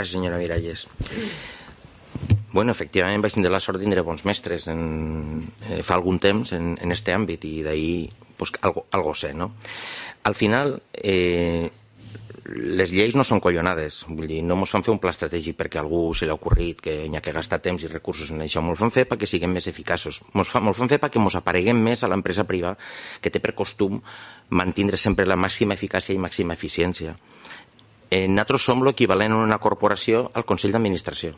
Gràcies, senyora Miralles. Bueno, efectivament vaig tindre la sort de tindre bons mestres fa algun temps en este àmbit i d'ahir pues, algo sé, no? Al final, les lleis no són collonades, vull dir, no ens fan fer un pla estratègic perquè a algú se li ha ocorrit que hi ha que gastar temps i recursos en això, ens fan fer perquè siguem més eficaços, ens fan fer perquè ens apareguem més a l'empresa privada que té per costum mantindre sempre la màxima eficàcia i màxima eficiència. Nosaltres som l'equivalent en una corporació al Consell d'Administració.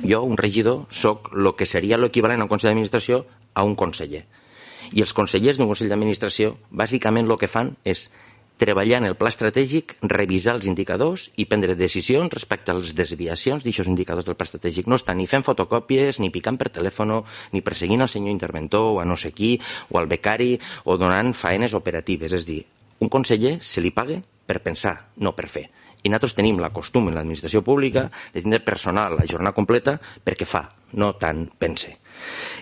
Jo, un regidor, sóc el que seria l'equivalent a un Consell d'Administració a un conseller. I els consellers d'un Consell d'Administració, bàsicament el que fan és treballar en el pla estratègic, revisar els indicadors i prendre decisions respecte a les desviacions d'aquests indicadors del pla estratègic. No estan ni fent fotocòpies, ni picant per telèfon, ni perseguint el senyor interventor o a no sé qui, o al becari, o donant faenes operatives. És a dir, un conseller se li paga per pensar, no per fer. I nosaltres tenim la costum en l'administració pública de tindre personal a jornada completa perquè fa, no tant pense.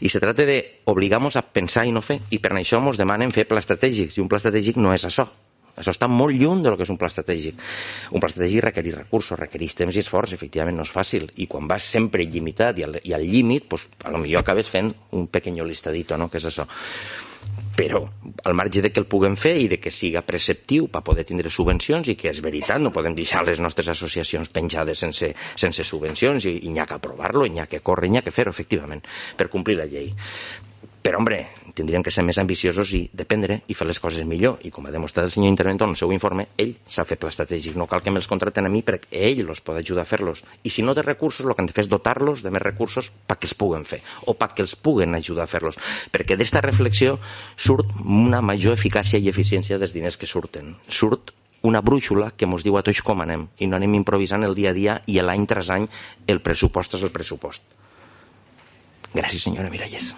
I se tracta d'obligar-nos a pensar i no fer, i per això ens demanen fer pla estratègic, i un pla estratègic no és això. Això està molt lluny del que és un pla estratègic. Un pla estratègic requereix recursos, requereix temps i esforç, efectivament no és fàcil. I quan vas sempre il·limitat i al límit, pues, potser acabes fent un pequeño listadito, no? Que és això. Però al marge de que el puguem fer i de que siga preceptiu per poder tindre subvencions, i que és veritat, no podem deixar les nostres associacions penjades sense subvencions, i n'hi ha que aprovar-lo, i n'hi ha que córrer, n'hi ha que fer-ho, efectivament, per complir la llei. Però, home, tindríem que ser més ambiciosos i dependre i fer les coses millor. I com ha demostrat el senyor interventor en el seu informe, ell s'ha fet pla estratègic. No cal que me'ls contraten a mi perquè ell els pot ajudar a fer-los. I si no té recursos, el que han de fer és dotar-los de més recursos perquè els puguen fer o perquè els puguen ajudar a fer-los. Perquè d'esta reflexió surt una major eficàcia i eficiència dels diners que surten. Surt una brúixola que ens diu a tots com anem i no anem improvisant el dia a dia i l'any tras any el pressupost és el pressupost. Gràcies, senyora Miralles.